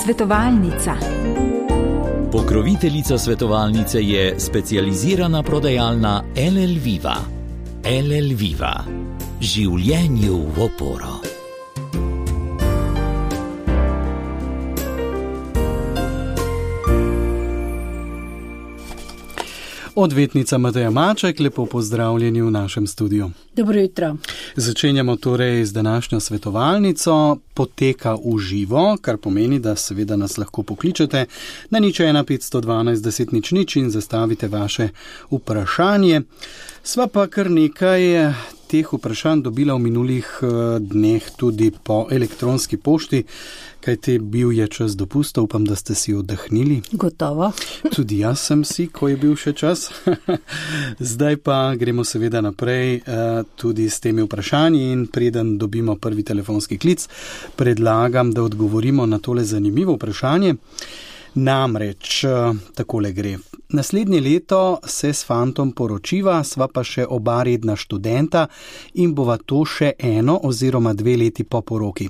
Svetovalnica. Pokroviteljica svetovalnice je specializirana prodajalna LL Viva. LL Viva. Življenju v oporo. Odvetnica Mateja Maček, lepo pozdravljeni v našem studiu. Dobro jutro. Začenjamo torej z današnjo svetovalnico. Poteka v živo, kar pomeni, da seveda nas lahko pokličete na 01 512 10 00 in zastavite vaše vprašanje. Sva pa kar nekaj teh vprašanj dobila v minulih dneh tudi po elektronski pošti, kajti bil je čas dopusta, upam, da ste si oddahnili. Gotovo. Tudi jaz sem si, ko je bil še čas. Zdaj pa gremo seveda naprej tudi s temi vprašanji in preden dobimo prvi telefonski klic, predlagam, da odgovorimo na tole zanimivo vprašanje. Namreč, takole gre. Naslednje leto se s fantom poročiva, sva pa še oba redna študenta in bova to še 1 oziroma 2 leti po poroki.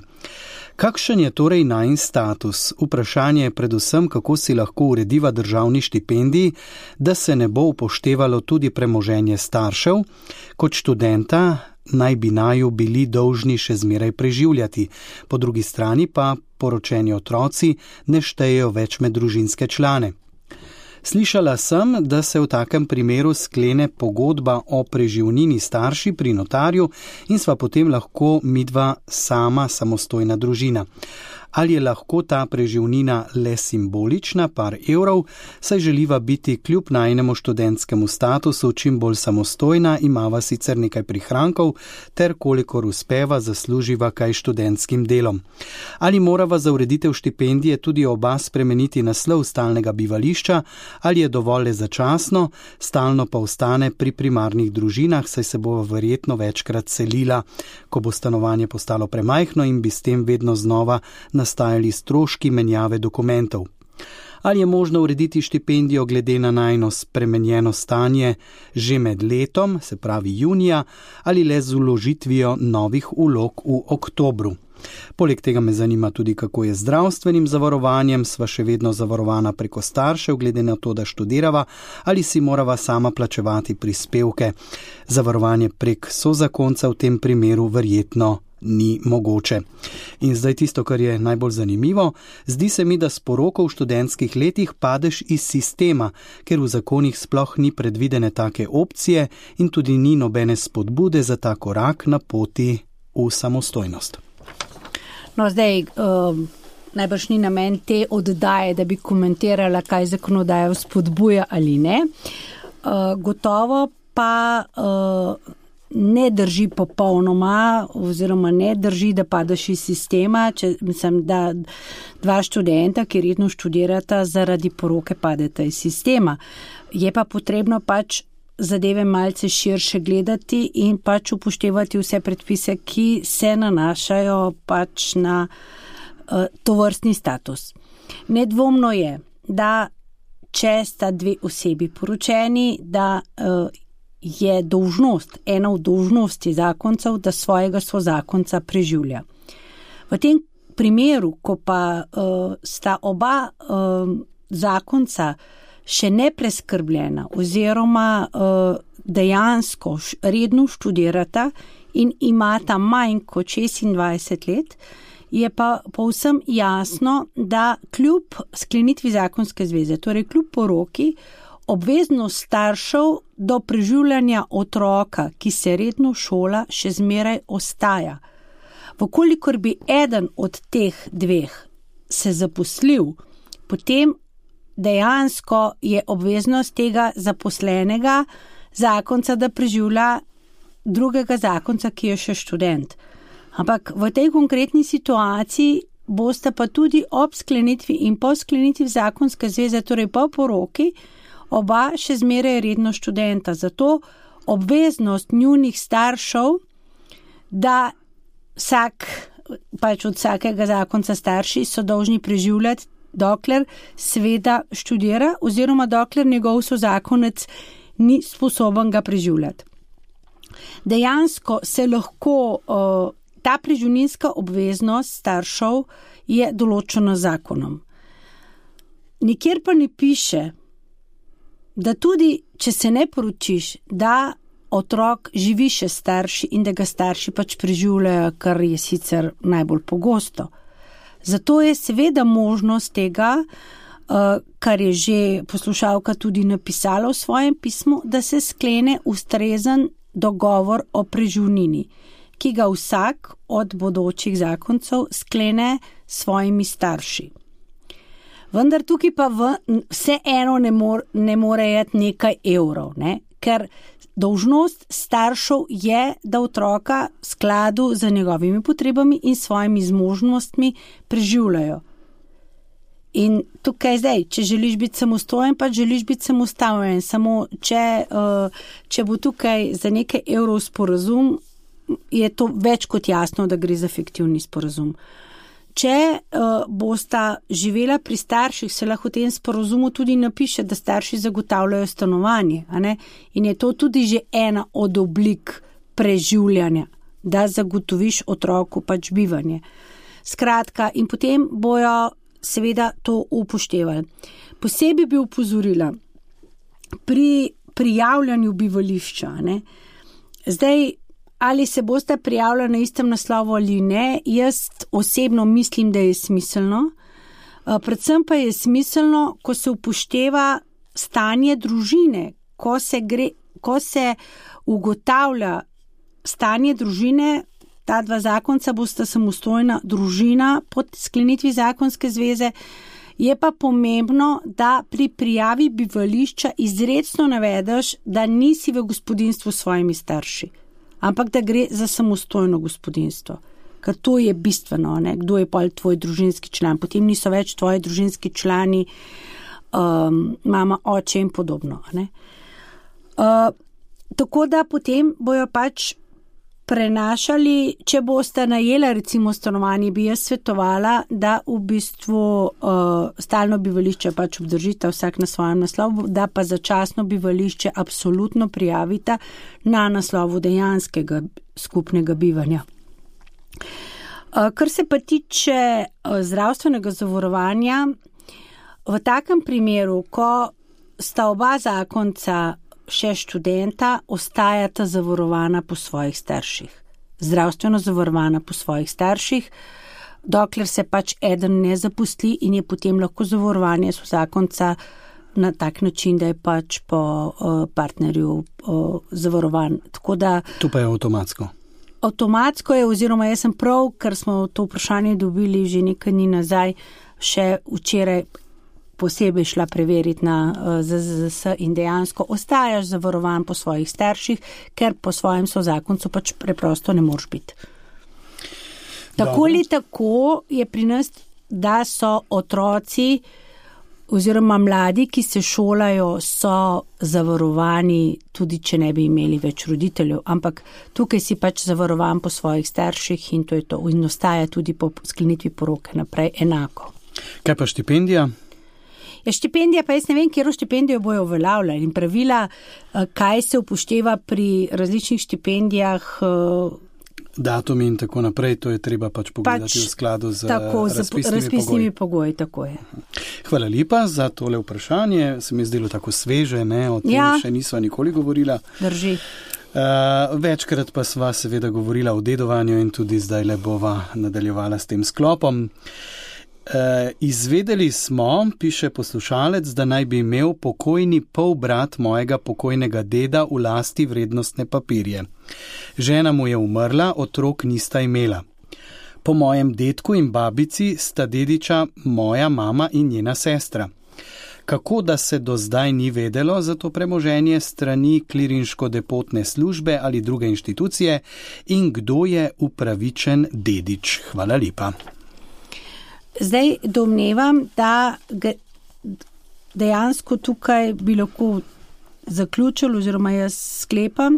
Kakšen je torej najin status? Vprašanje je predvsem, kako si lahko urediva državni štipendiji, da se ne bo upoštevalo tudi premoženje staršev. Kot študenta naj bi naju bili dolžni še zmeraj preživljati. Po drugi strani pa poročeni otroci ne štejejo več med družinske člane. Slišala sem, da se v takem primeru sklene pogodba o preživnini starši pri notarju in sva potem lahko midva sama samostojna družina. Ali je lahko ta preživnina le simbolična, par evrov, saj želiva biti kljub najinemu študentskemu statusu čim bolj samostojna, imava sicer nekaj prihrankov, ter kolikor uspeva zasluživa kaj študentskim delom. Ali morava za ureditev štipendije tudi oba spremeniti naslov stalnega bivališča, ali je dovolj začasno, stalno pa ostane pri primarnih družinah, saj se bova verjetno večkrat selila, ko bo stanovanje postalo premajhno in bi s tem vedno znova nastajali stroški menjave dokumentov. Ali je možno urediti štipendijo glede na najino spremenjeno stanje že med letom, se pravi junija, ali le z vložitvijo novih vlog v oktobru. Poleg tega me zanima tudi, kako je z zdravstvenim zavarovanjem, sva še vedno zavarovana preko staršev, glede na to, da študirava, ali si morava sama plačevati prispevke. Zavarovanje prek sozakonca v tem primeru verjetno ni mogoče. In zdaj tisto, kar je najbolj zanimivo, zdi se mi, da s poroko v študentskih letih padeš iz sistema, ker v zakonih sploh ni predvidene take opcije in tudi ni nobene spodbude za ta korak na poti v samostojnost. No, zdaj, najbrž ni namen te oddaje, da bi komentirala, kaj zakonodaja spodbuja ali ne. Gotovo pa ne drži popolnoma, oziroma ne drži, da padeš iz sistema, mislim, da 2 študenta, ki redno študirata, zaradi poroke padeta iz sistema. Je pa potrebno pač zadeve malce širše gledati in pač upoštevati vse predpise, ki se nanašajo pač na tovrstni status. Nedvomno je, da če sta 2 osebi poročeni, da je dolžnost, ena od dolžnosti zakoncev, da svojega sozakonca preživlja. V tem primeru, ko pa sta oba zakonca še nepreskrbljena oziroma dejansko redno študirata in imata manj kot 26 let, je pa povsem jasno, da kljub sklenitvi zakonske zveze, torej kljub poroki, obveznost staršev do preživljanja otroka, ki se redno šola, še zmeraj ostaja. Vkolikor bi eden od teh 2 se zaposlil, potem dejansko je obveznost tega zaposlenega zakonca, da preživlja drugega zakonca, ki je še študent. Ampak v tej konkretni situaciji boste pa tudi ob sklenitvi in po sklenitvi zakonske zveze, torej po poroki, oba še zmeraj redno študenta. Zato obveznost njunih staršev, da pač od vsakega zakonca starši so dolžni preživljati, dokler seveda študira oziroma dokler njegov sozakonec ni sposoben ga preživljati. Dejansko se lahko ta preživninska obveznost staršev je določena z zakonom. nikjer pa ne piše, da tudi, če se ne poročiš, da otrok živi še starši in da ga starši pač preživljajo, kar je sicer najbolj pogosto. Zato je seveda možnost tega, kar je že poslušalka tudi napisala v svojem pismu, da se sklene ustrezen dogovor o preživnini, ki ga vsak od bodočih zakoncev sklene s svojimi starši. Vendar tukaj pa vseeno ne more jeti nekaj evrov, ne? Ker dolžnost staršev je, da otroka v skladu z njegovimi potrebami in svojimi zmožnostmi preživljajo. In tukaj zdaj, če želiš biti samostojen, pa želiš biti samostojen, samo če bo tukaj za nekaj evrov sporazum, je to več kot jasno, da gre za fiktivni sporazum. Če bosta živela pri starših, se lahko v tem sporazumu tudi napiše, da starši zagotavljajo stanovanje, a ne? In je to tudi že ena od oblik preživljanja, da zagotoviš otroku pač bivanje. Skratka, in potem bojo seveda to upoštevali. Posebej bi upozorila pri prijavljanju bivališča, ne? Zdaj, ali se boste prijavljali na istem naslovu ali ne, jaz osebno mislim, da je smiselno. Predvsem pa je smiselno, ko se upošteva stanje družine, ko se ugotavlja stanje družine. Ta dva zakonca bosta samostojna družina pod sklenitvi zakonske zveze. Je pa pomembno, da pri prijavi bivališča izrecno navedeš, da nisi v gospodinjstvu s svojimi starši, ampak da gre za samostojno gospodinjstvo. Ker to je bistveno, ne? Kdo je pa tvoj družinski član. Potem niso več tvoji družinski člani, mama, oče in podobno. Ne? Tako da potem bojo pač prenašali, če boste najela recimo stanovanje, bi jaz svetovala, da v bistvu stalno bivališče pač obdržite vsak na svojem naslovu, da pa začasno bivališče absolutno prijavite na naslovu dejanskega skupnega bivanja. Kar se pa tiče zdravstvenega zavarovanja, v takem primeru, ko sta oba zakonca še študenta, ostajata zavarovana po svojih starših. Zdravstveno zavarovana po svojih starših, dokler se pač eden ne zaposli in je potem lahko zavarovanje zakonca na tak način, da je pač po partnerju zavarovan. Tako da, to pa je avtomatsko. Avtomatsko je, oziroma jaz sem prav, ker smo to vprašanje dobili že nekaj dni nazaj, še včeraj posebej šla preveriti na ZZZS in dejansko ostajaš zavarovan po svojih starših, ker po svojem sozakoncu pač preprosto ne moreš biti. Tako ali tako je pri nas, da so otroci oziroma mladi, ki se šolajo, so zavarovani, tudi če ne bi imeli več roditeljev, ampak tukaj si pač zavarovan po svojih starših in to je to. In ostaja tudi po sklenitvi poroke naprej enako. Kaj pa štipendija? Ja, štipendija, pa jaz ne vem, kjero štipendijo bojo uveljavljali in pravila, kaj se upošteva pri različnih štipendijah. Datumi in tako naprej, to je treba pač pogledati v skladu z razpisnimi pogoji. Tako je. Hvala lepa za tole vprašanje, se mi je zdelo tako sveže, ne? O tem še nisva nikoli govorila. Drži. Večkrat pa sva seveda govorila o dedovanju in tudi zdaj le bova nadaljevala s tem sklopom. Izvedeli smo, piše poslušalec, da naj bi imel pokojni polbrat mojega pokojnega deda v lasti vrednostne papirje. Žena mu je umrla, otrok nista imela. Po mojem dedku in babici sta dediča moja mama in njena sestra. Kako da se do zdaj ni vedelo za to premoženje strani klirinško-depotne službe ali druge inštitucije in kdo je upravičen dedič? Hvala lepa. Zdaj domnevam, da dejansko tukaj bi lahko zaključili oziroma jaz sklepam,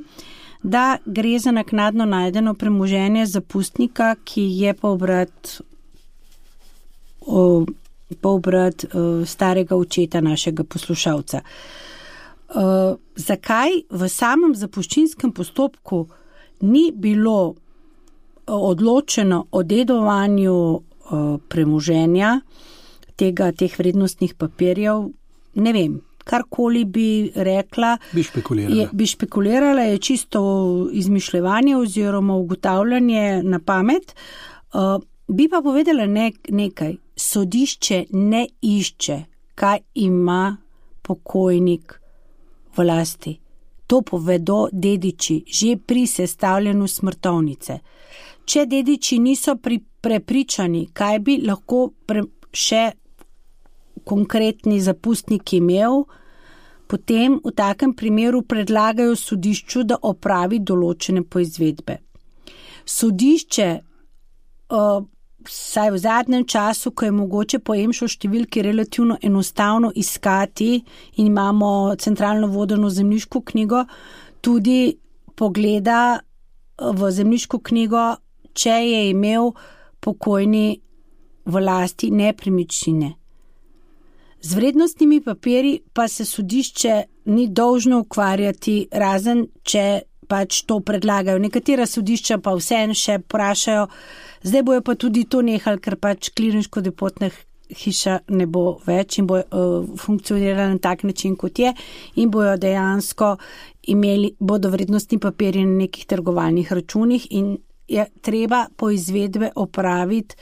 da gre za naknadno najdeno premoženje zapustnika, ki je polbrat starega očeta našega poslušalca. Zakaj v samem zapuščinskem postopku ni bilo odločeno o dedovanju premoženja, teh vrednostnih papirjev, ne vem, karkoli bi rekla, bi špekulirala, je čisto izmišljevanje oziroma ugotavljanje na pamet. Bi pa povedala nekaj, sodišče ne išče, kaj ima pokojnik v lasti. To povedo dediči že pri sestavljanju smrtovnice. Če dediči niso prepričani, kaj bi lahko še konkretni zapustnik imel, potem v takem primeru predlagajo sodišču, da opravi določene poizvedbe. Sodišče, saj v zadnjem času, ko je mogoče po EMŠO številki relativno enostavno iskati in imamo centralno vodeno zemljiško knjigo, tudi pogleda v zemljiško knjigo, če je imel pokojni v lasti nepremičnine. Z vrednostnimi papirji pa se sodišče ni dolžno ukvarjati, razen če pač to predlagajo. Nekatera sodišča pa vseeno še vprašajo, zdaj bojo pa tudi to nehali, ker pač klirinško depotna hiša ne bo več in bo funkcionirala na tak način, kot je, in bojo dejansko bodo vrednostni papirji na nekih trgovalnih računih in je treba poizvedbe opraviti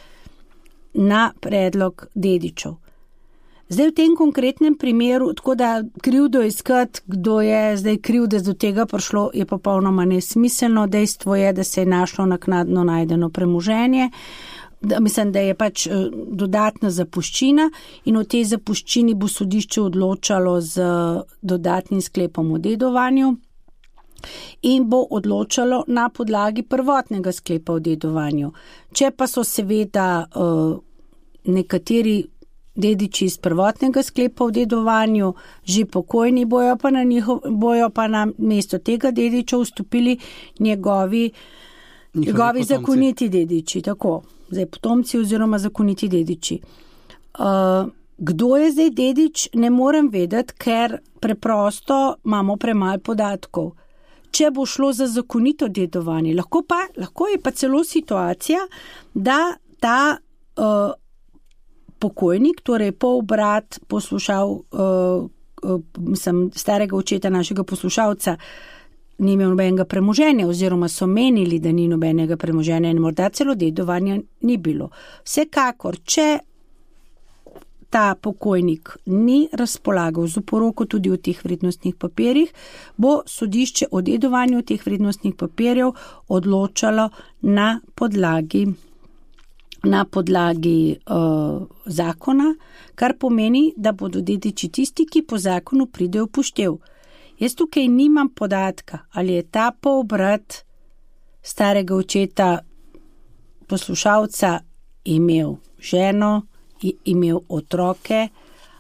na predlog dedičev. Zdaj v tem konkretnem primeru, tako da krivdo iskati, kdo je zdaj kriv, da do tega prišlo, je popolnoma nesmiselno. Dejstvo je, da se je našlo naknadno najdeno premoženje, mislim, da je pač dodatna zapuščina in o tej zapuščini bo sodišče odločalo z dodatnim sklepom o dedovanju in bo odločalo na podlagi prvotnega sklepa o dedovanju. Če pa so seveda nekateri dediči iz prvotnega sklepa o dedovanju že pokojni, bojo pa na mesto tega dediča vstopili njegovi zakoniti dediči, tako, zdaj potomci oziroma zakoniti dediči. Kdo je zdaj dedič, ne morem vedeti, ker preprosto imamo premalo podatkov. Če bo šlo za zakonito dedovanje, lahko je pa celo situacija, da ta pokojnik, torej polbrat starega očeta našega poslušalca, ni imel nobenega premoženja oziroma so menili, da ni nobenega premoženja in morda celo dedovanja ni bilo. Vsekakor, če ta pokojnik ni razpolagal z oporoko tudi v teh vrednostnih papirjih, bo sodišče o dedovanju teh vrednostnih papirjev odločalo na podlagi zakona, kar pomeni, da bodo dediči tisti, ki po zakonu pridejo v poštev. Jaz tukaj nimam podatka, ali je ta polbrat starega očeta poslušalca imel ženo, imel otroke,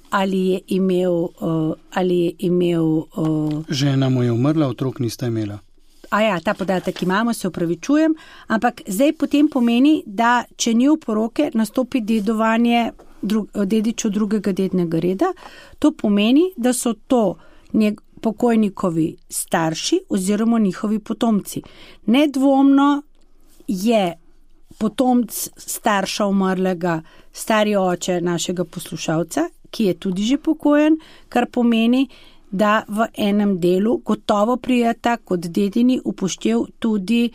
ali je imel žena mu je umrla, otrok nista imela. Ta podatek imamo, se opravičujem, ampak zdaj potem pomeni, da če ni oporoke, nastopi dedovanje dedičev drugega dednega reda. To pomeni, da so to pokojnikovi starši oziroma njihovi potomci. Nedvomno je potomc starša umrlega stari oče našega poslušalca, ki je tudi že pokojen, kar pomeni, da v enem delu gotovo prijeta kot dedini upoštev tudi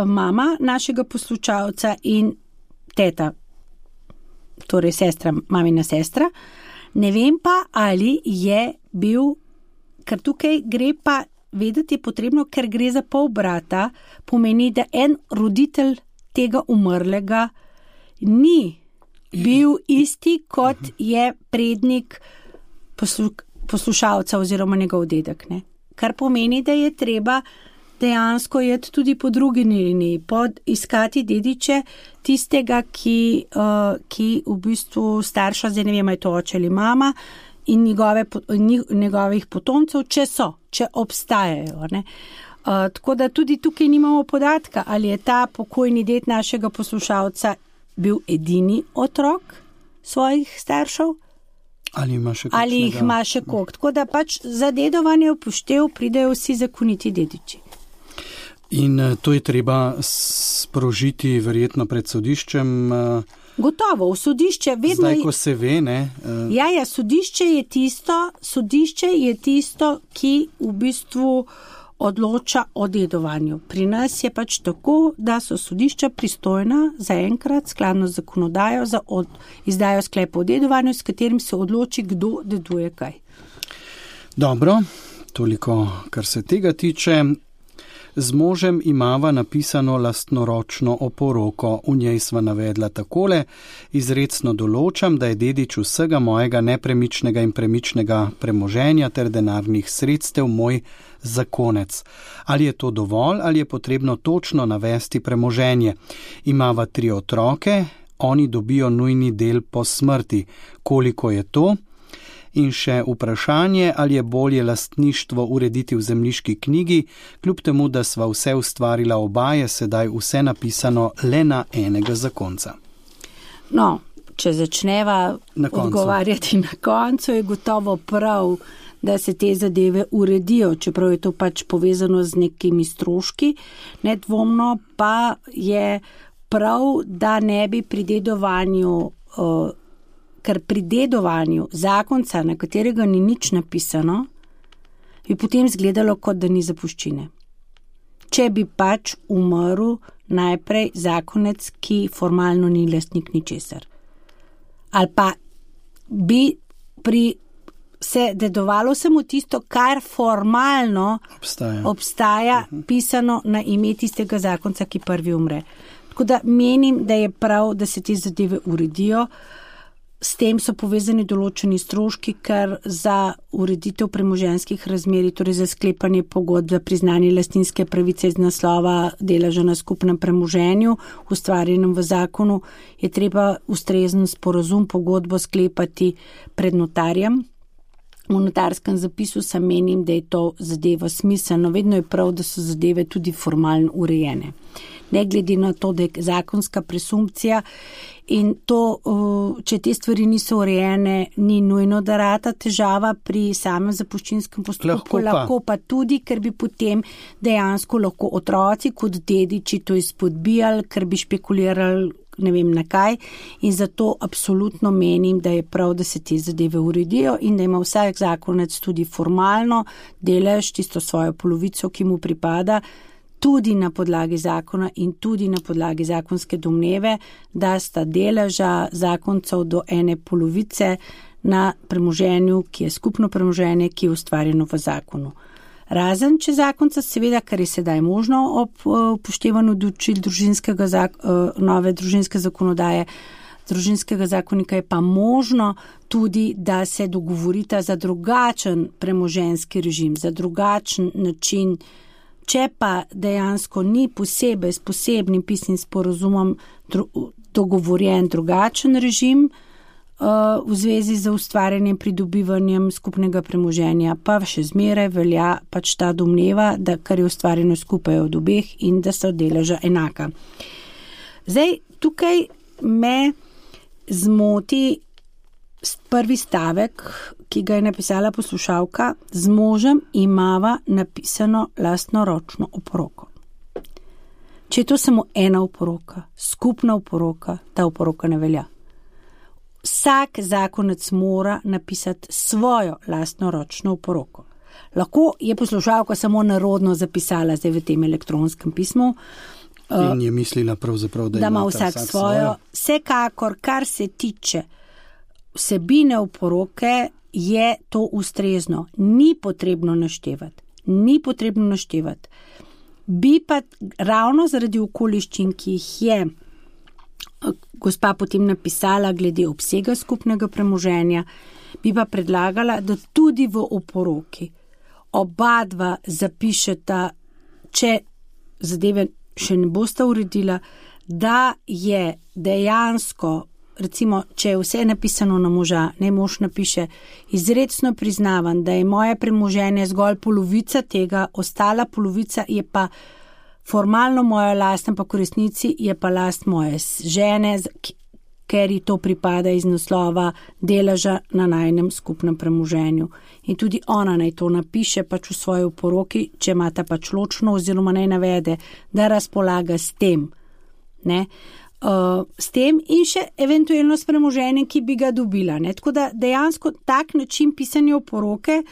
mama našega poslušalca in teta, torej mamina sestra. Ne vem pa, ali je bil, ker tukaj gre pa vedeti potrebno, ker gre za polbrata, pomeni, da en roditelj tega umrlega ni bil isti, kot je prednik poslušalca oziroma njegov dedek. Ne? Kar pomeni, da je treba dejansko jeti tudi po drugi liniji, iskati dediče tistega, ki v bistvu starša, zdaj ne vem, je to oče ali mama, in njegovih potomcev, če obstajajo. Ne? Tako da tudi tukaj nimamo podatka, ali je ta pokojni ded našega poslušalca bil edini otrok svojih staršev, ali jih ima še koliko. Tako da pač za dedovanje upoštev pridejo vsi zakoniti dediči. In to je treba sprožiti verjetno pred sodiščem, Gotovo, v sodišče vedno... Zdaj, ko se ve, ne? Ja, sodišče je tisto, ki v bistvu odloča o dedovanju. Pri nas je pač tako, da so sodišča pristojna zaenkrat skladno z zakonodajo izdajo sklepa o dedovanju, s katerim se odloči, kdo deduje kaj. Dobro, toliko, kar se tega tiče. Z možem imava napisano lastnoročno oporoko. V njej sva navedla takole: izrecno določam, da je dedič vsega mojega nepremičnega in premičnega premoženja ter denarnih sredstev moj zakonec. Ali je to dovolj ali je potrebno točno navesti premoženje? Imava 3 otroke, oni dobijo nujni del po smrti. Koliko je to? In še vprašanje, ali je bolje lastništvo urediti v zemljiški knjigi, kljub temu, da sva vse ustvarila oba, je sedaj vse napisano le na enega zakonca. No, če začneva odgovarjati na koncu, je gotovo prav, da se te zadeve uredijo, čeprav je to pač povezano z nekimi stroški. Nedvomno pa je prav, da ne bi pri dedovanju ker pri dedovanju zakonca, na katerega ni nič napisano, bi potem izgledalo, kot da ni zapuščine. Če bi pač umrl najprej zakonec, ki formalno ni lastnik ničesar. Ali pa bi se dedovalo samo tisto, kar formalno obstaja pisano na ime tistega zakonca, ki prvi umre. Tako da menim, da je prav, da se te zadeve uredijo. S tem so povezani določeni stroški, ker za ureditev premoženjskih razmerij, torej za sklepanje pogodb za priznanje lastninske pravice iz naslova deleža na skupnem premoženju, ustvarjenem v zakonu, je treba ustrezen sporazum, pogodbo sklepati pred notarjem. V notarskem zapisu sem menim, da je to zadeva smiselno. Vedno je prav, da so zadeve tudi formalno urejene. Ne glede na to, da je zakonska presumpcija in to, če te stvari niso urejene, ni nujno, da rata težava pri samem zapuščinskem postopku, lahko pa tudi, ker bi potem dejansko lahko otroci kot dediči to izpodbijali, ker bi špekulirali ne vem na kaj, in zato absolutno menim, da je prav, da se te zadeve uredijo in da ima vsak zakonec tudi formalno delež, tisto svojo polovico, ki mu pripada, tudi na podlagi zakona in tudi na podlagi zakonske domneve, da sta deleža zakoncev do ene polovice na premoženju, ki je skupno premoženje, ki je ustvarjeno v zakonu. Razen, če zakonca seveda, kar je sedaj možno ob upoštevanju določil nove družinske zakonodaje, družinskega zakonika, je pa možno tudi, da se dogovorita za drugačen premoženjski režim, za drugačen način. Če pa dejansko ni posebej s posebnim pisnim sporazumom dogovorjen drugačen režim v zvezi z ustvarjanjem, pridobivanjem skupnega premoženja, pa še zmeraj velja pač ta domneva, da kar je ustvarjeno skupaj od obeh in da so deleža enaka. Zdaj, tukaj me zmoti prvi stavek, ki ga je napisala poslušalka: z možem imava napisano lastnoročno oporoko. Če je to samo ena oporoka, skupna oporoka, ta oporoka ne velja. Vsak zakonec mora napisati svojo lastnoročno oporoko. Lahko je poslušalka samo narodno zapisala zdaj v tem elektronskem pismu. In je mislila pravzaprav, da ima vsak svojo. Vsekakor, kar se tiče vsebine oporoke, je to ustrezno. Ni potrebno naštevati. Bi pa ravno zaradi okoliščin, ki jih je gospa potem napisala glede obsega skupnega premoženja, bi pa predlagala, da tudi v oporoki oba dva zapišeta, če zadeve še ne bosta uredila, da je dejansko, recimo, če je vse napisano na moža, ne mož napiše: izrecno priznavam, da je moje premoženje zgolj polovica tega, ostala polovica je pa formalno moja last, ampak v resnici je pa last moje žene, ker ji to pripada iz naslova deleža na najinem skupnem premoženju. In tudi ona naj to napiše pač v svoji oporoki, če imata pač ločno, oziroma naj navede, da razpolaga s tem. Ne? s tem in še eventualno s premoženjem, ki bi ga dobila. Ne? Tako da dejansko tak način pisanja oporoke,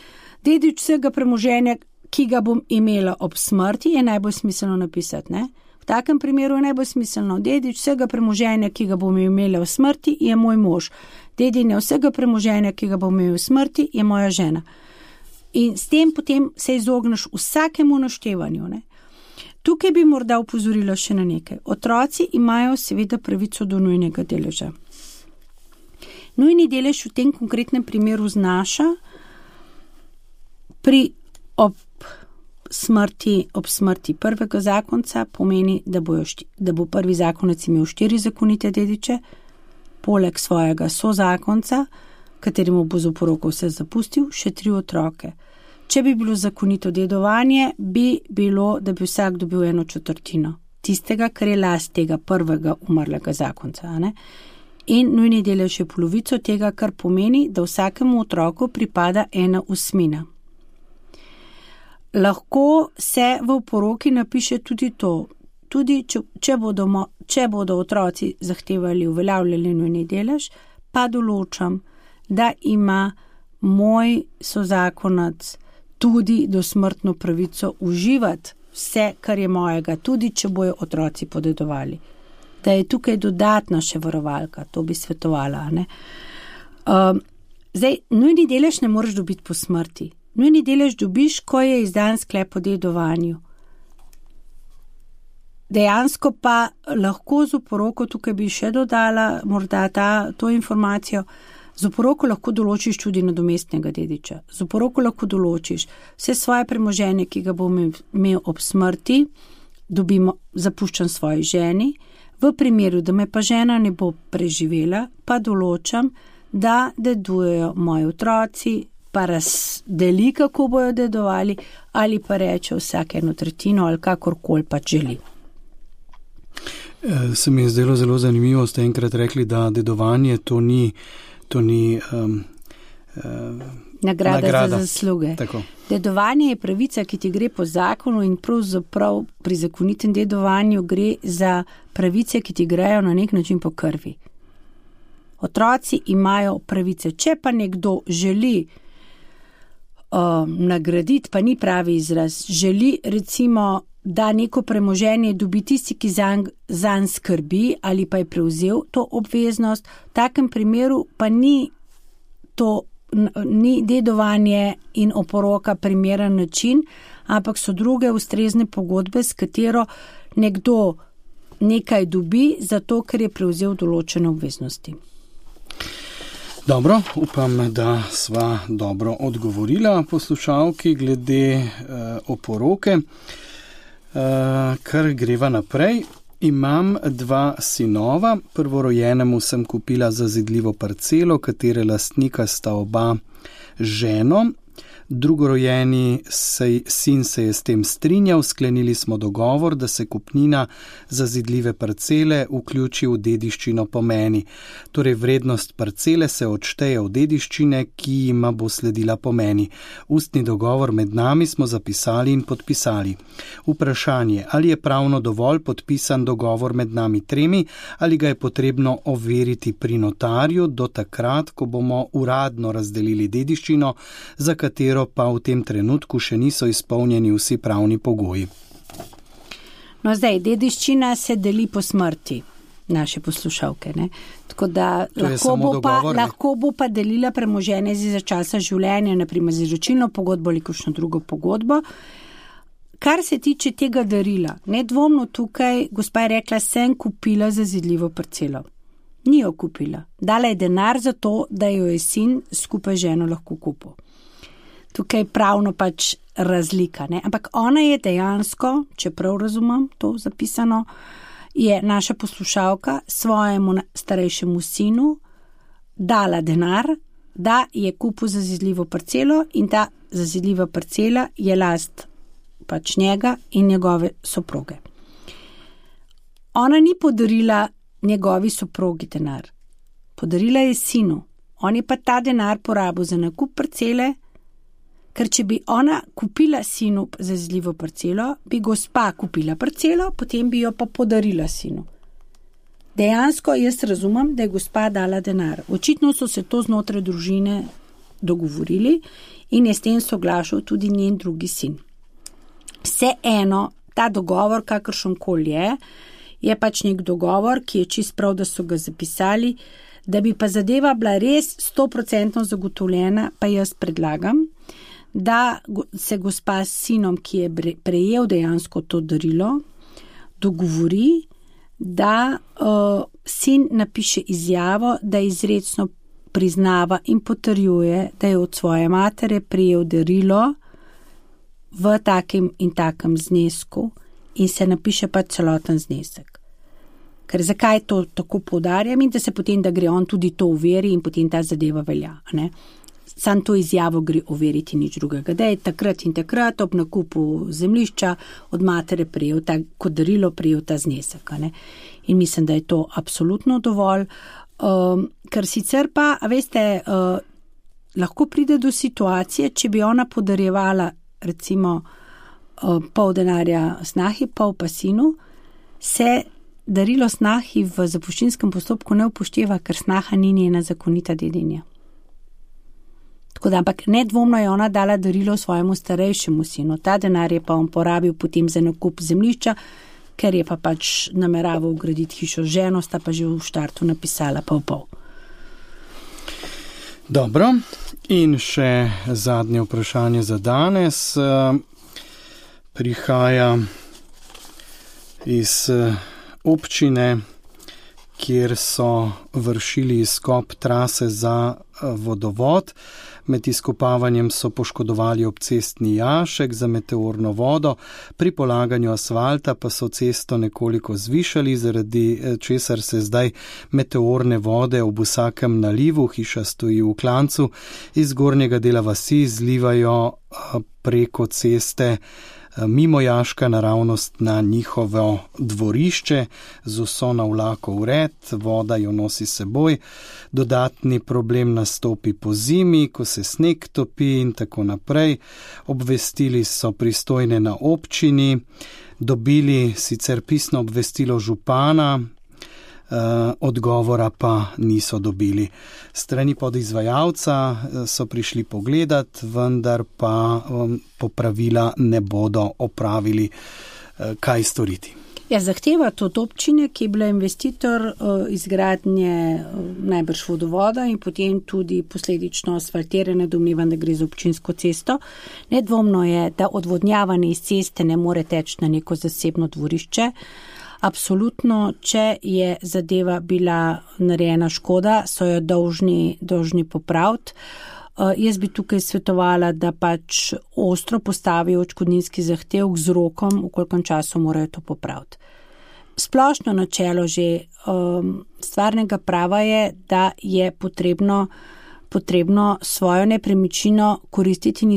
dedič vsega premoženja, ki ga bom imela ob smrti, je najbolj smiselno napisati. Ne? V takem primeru je najbolj smiselno, dedič vsega premoženja, ki ga bom imela v smrti, je moj mož. Dedinja vsega premoženja, ki ga bom imela v smrti, je moja žena. In s tem potem se izogneš vsakemu naštevanju. Ne? Tukaj bi morda opozorila še na nekaj. Otroci imajo seveda pravico do nujnega deleža. Nujni delež v tem konkretnem primeru znaša ob smrti prvega zakonca, pomeni, da bo prvi zakonec imel 4 zakonite dediče, poleg svojega sozakonca, kateremu bo z oporoko vse zapustil, še 3 otroke. Če bi bilo zakonito dedovanje, bi bilo, da bi vsak dobil 1/4 tistega, kar je last tega prvega umrlega zakonca. Ne? In nujni delež je polovico tega, kar pomeni, da vsakemu otroku pripada 1/8. Lahko se v oporoki napiše tudi to, tudi če bodo otroci zahtevali uveljavljeni nujni delež, pa določam, da ima moj sozakonac tudi dosmrtno pravico uživati vse, kar je mojega, tudi če bojo otroci podedovali. Da je tukaj dodatna še varovalka, to bi svetovala. Ne? Zdaj, nujni delež ne moreš dobiti po smrti. Nujni delež dobiš, ko je izdan sklep o dedovanju. Dejansko pa lahko z oporoko, tukaj bi še dodala morda to informacijo, z oporoko lahko določiš tudi nadomestnega dediča. Z oporoko lahko določiš vse svoje premoženje, ki ga bom imel ob smrti, zapuščam svoji ženi. V primeru, da me pa žena ne bo preživela, pa določam, da dedujejo moji otroci, pa razdeli, kako bojo dedovali, ali pa reče vsake 1/3 ali kakorkoli pač želi. Se mi je zdelo zelo zanimivo, ste enkrat rekli, da dedovanje to ni nagrada za zasluge. Tako. Dedovanje je pravica, ki ti gre po zakonu in pravzaprav pri zakonitem dedovanju gre za pravice, ki ti grejo na nek način po krvi. Otroci imajo pravice. Če pa nekdo želi nagraditi, pa ni pravi izraz, želi recimo, da neko premoženje dobi tisti, ki zanj skrbi ali pa je prevzel to obveznost, v takem primeru pa ni dedovanje in oporoka primeren način, ampak so druge ustrezne pogodbe, s katero nekdo nekaj dobi, zato ker je prevzel določene obveznosti. Dobro, upam, da sva dobro odgovorila poslušalki glede oporoke. Kar greva naprej. Imam 2 sinova. Prvorojenemu sem kupila zazidljivo parcelo, katere lastnika sta oba ženo. Drugorojeni sin se je s tem strinjal, sklenili smo dogovor, da se kupnina zazidljive parcele vključi v dediščino po meni. Torej vrednost parcele se odšteje od dediščine, ki jima bo sledila po meni. Ustni dogovor med nami smo zapisali in podpisali. Vprašanje, ali je pravno dovolj podpisan dogovor med nami 3, ali ga je potrebno overiti pri notarju do takrat, ko bomo uradno razdelili dediščino, za katero pa v tem trenutku še niso izpolnjeni vsi pravni pogoji. No zdaj, dediščina se deli po smrti naše poslušalke, ne? Tako da lahko bo pa delila premoženje za časa življenja, naprimer z izročilno pogodbo ali kakšno drugo pogodbo. Kar se tiče tega darila, nedvomno tukaj, gospa je rekla, sem kupila zazidljivo parcelo. Ni jo kupila. Dala je denar za to, da jo je sin skupaj ženo lahko kupil. Tukaj pravno pač razlika, ne? Ampak ona je dejansko, če prav razumem to zapisano, je naša poslušalka svojemu starejšemu sinu dala denar, da je kupil zazidljivo parcelo in ta zazidljiva parcela je last pač njega in njegove soproge. Ona ni podarila njegovi soprogi denar, podarila je sinu. On je pa ta denar porabil za nakup parcele, ker če bi ona kupila sinu zazidljivo parcelo, bi gospa kupila parcelo, potem bi jo pa podarila sinu. dejansko jaz razumem, da je gospa dala denar. Očitno so se to znotraj družine dogovorili in je s tem soglašal tudi njen drugi sin. Vseeno, ta dogovor, kakršenkoli je pač nek dogovor, ki je čist prav, da so ga zapisali, da bi pa zadeva bila res 100% zagotovljena, pa jaz predlagam, da se gospa s sinom, ki je prejel dejansko to darilo, dogovori, da sin napiše izjavo, da izrecno priznava in potrjuje, da je od svoje matere prejel darilo v takem in takem znesku in se napiše pa celoten znesek. Ker zakaj to tako poudarjam in da se potem, da gre on tudi to overi in potem ta zadeva velja, ne? Sam to izjavo gre overiti nič drugega. Da je takrat in takrat ob nakupu zemljišča od matere prejel kot darilo prejel ta znesek, ne? In mislim, da je to absolutno dovolj. Ker sicer pa, veste, lahko pride do situacije, če bi ona podarjevala recimo pol denarja snahi, pol pa sinu, se darilo snahi v zapuščinskem postopku ne upošteva, ker snaha ni njena zakonita dedinja. Tako da, ampak nedvomno je ona dala darilo svojemu starejšemu sinu. Ta denar je pa on porabil potem za nakup zemljišča, ker je pa pač nameraval graditi hišo z ženo, sta pa že v štartu napisala pol. Dobro, in še zadnje vprašanje za danes. Prihaja iz občine, kjer so vršili izkop trase za vodovod. Med izkopavanjem so poškodovali obcestni jašek za meteorno vodo, pri polaganju asfalta pa so cesto nekoliko zvišali, zaradi česar se zdaj meteorne vode ob vsakem nalivu, hiša stoji v klancu, iz zgornjega dela vasi zlivajo preko ceste mimo jaška naravnost na njihovo dvorišče, z vso navlako vred, voda jo nosi seboj. Dodatni problem nastopi po zimi, ko se sneg topi in tako naprej. Obvestili so pristojne na občini, dobili sicer pisno obvestilo župana, odgovora pa niso dobili. Strani podizvajalca so prišli pogledat, vendar pa popravila ne bodo opravili. Kaj storiti? Ja, zahteva to od občine, ki je bila investitor izgradnje najbrž vodovoda in potem tudi posledično asfaltirane, domnevam, da gre za občinsko cesto. Nedvomno je, da odvodnjavanje iz ceste ne more teči na neko zasebno dvorišče. Absolutno, če je zadeva bila narejena škoda, so jo dolžni popraviti. Jaz bi tukaj svetovala, da pač ostro postavijo odškodninski zahtevek z rokom, v kolikem času morajo to popraviti. Splošno načelo že stvarnega prava je, da je potrebno svojo nepremičnino koristiti in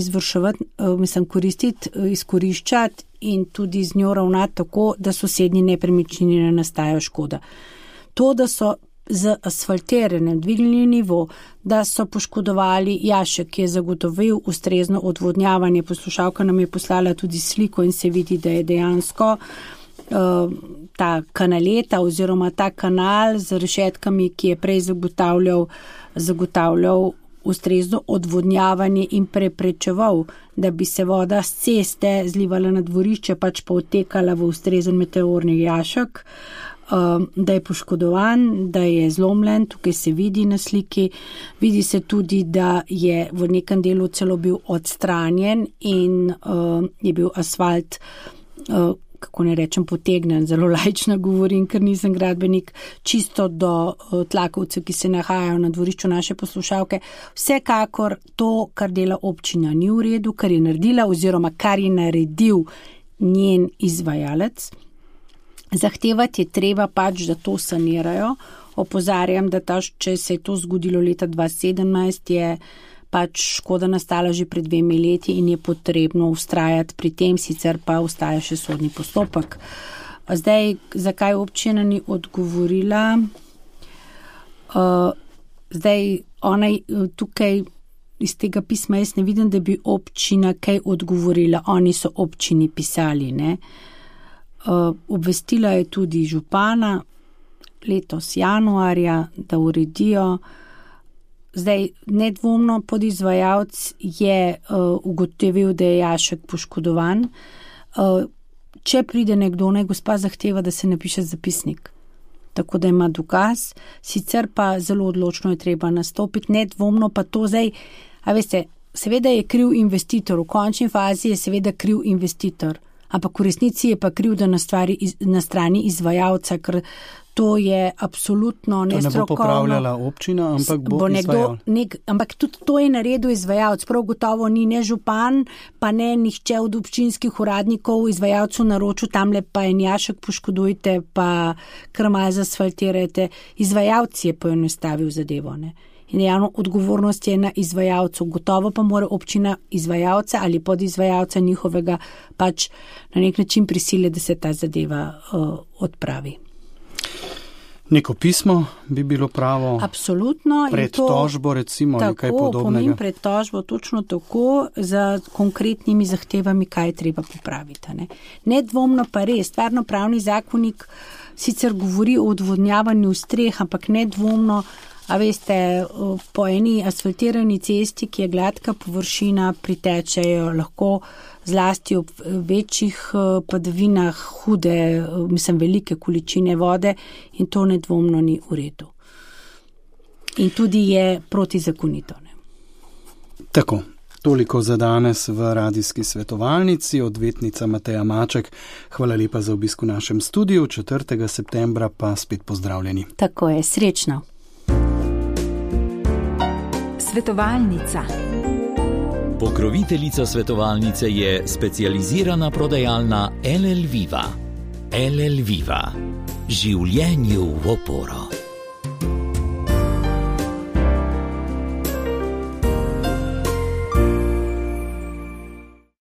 izkoriščati in tudi z njo ravnati tako, da sosednji nepremičnini ne nastajajo škoda. To, da so z asfaltiranjem dvignili nivo, da so poškodovali jašek, ki je zagotovil ustrezno odvodnjavanje. Poslušalka nam je poslala tudi sliko in se vidi, da je dejansko ta kanaleta oziroma ta kanal z rešetkami, ki je prej zagotavljal ustrezno odvodnjavanje in preprečeval, da bi se voda s ceste zlivala na dvorišče, pač pa odtekala v ustrezen meteorni jašek, da je poškodovan, da je zlomljen, tukaj se vidi na sliki, vidi se tudi, da je v nekem delu celo bil odstranjen in je bil asfalt, kako ne rečem, potegnen, zelo laično govorim, ker nisem gradbenik, čisto do tlakovcev, ki se nahajajo na dvorišču naše poslušalke. Vsekakor to, kar dela občina, ni v redu, kar je naredila oziroma kar je naredil njen izvajalec. Zahtevati je treba pač, da to sanirajo. Opozarjam, da če se je to zgodilo leta 2017, je pač škoda nastala že pred 2 leti in je potrebno vztrajati pri tem, sicer pa ostaja še sodni postopek. Zdaj, zakaj občina ni odgovorila? Zdaj, ona tukaj iz tega pisma jaz ne vidim, da bi občina kaj odgovorila. Oni so občini pisali, ne? Obvestila je tudi župana. letos januarja, da uredijo. Zdaj, nedvomno podizvajalec je ugotovil, da je jašek poškodovan. Če pride nekdo, naj gospa zahteva, da se napiše zapisnik. Tako da ima dokaz, sicer pa zelo odločno je treba nastopiti, nedvomno pa to zdaj, a veste, seveda je kriv investitor, v končni fazi je seveda kriv investitor, ampak v resnici je pa kriv, da na strani izvajalca, ker to je absolutno nestrokovno. To ne bo popravljala občina, ampak bo izvajalec. Ampak tudi to je naredil izvajalec. Prav gotovo ni ne župan, pa ne nihče od občinskih uradnikov izvajalcu naročil, tamle pa en jašek poškodujte, pa kar malo zasfaltirajte. Izvajalec je poenostavil zadevo, ne. In javno odgovornost je na izvajalcu. Gotovo pa mora občina izvajalca ali podizvajalca njihovega pač na nek način prisile, da se ta zadeva odpravi. Neko pismo bi bilo pravo? Absolutno. Pred tožbo recimo ali kaj podobnega? Tako, pomeni pred tožbo točno tako, za konkretnimi zahtevami, kaj je treba popraviti. Nedvomno pa res, stvarnopravni zakonik sicer govori o odvodnjavanju streh, ampak nedvomno, a veste, po eni asfaltirani cesti, ki je gladka površina, pritečejo lahko zlasti ob večjih padavinah hude, velike količine vode in to nedvomno ni v redu. In tudi je protizakonito. Tako, toliko za danes v radijski svetovalnici. Odvetnica Mateja Maček, hvala lepa za obisk v našem studiu. 4. septembra pa spet pozdravljeni. Tako je, srečno. Svetovalnica. Pokroviteljica svetovalnice je specializirana prodajalna LL Viva. LL Viva. Življenju v oporo.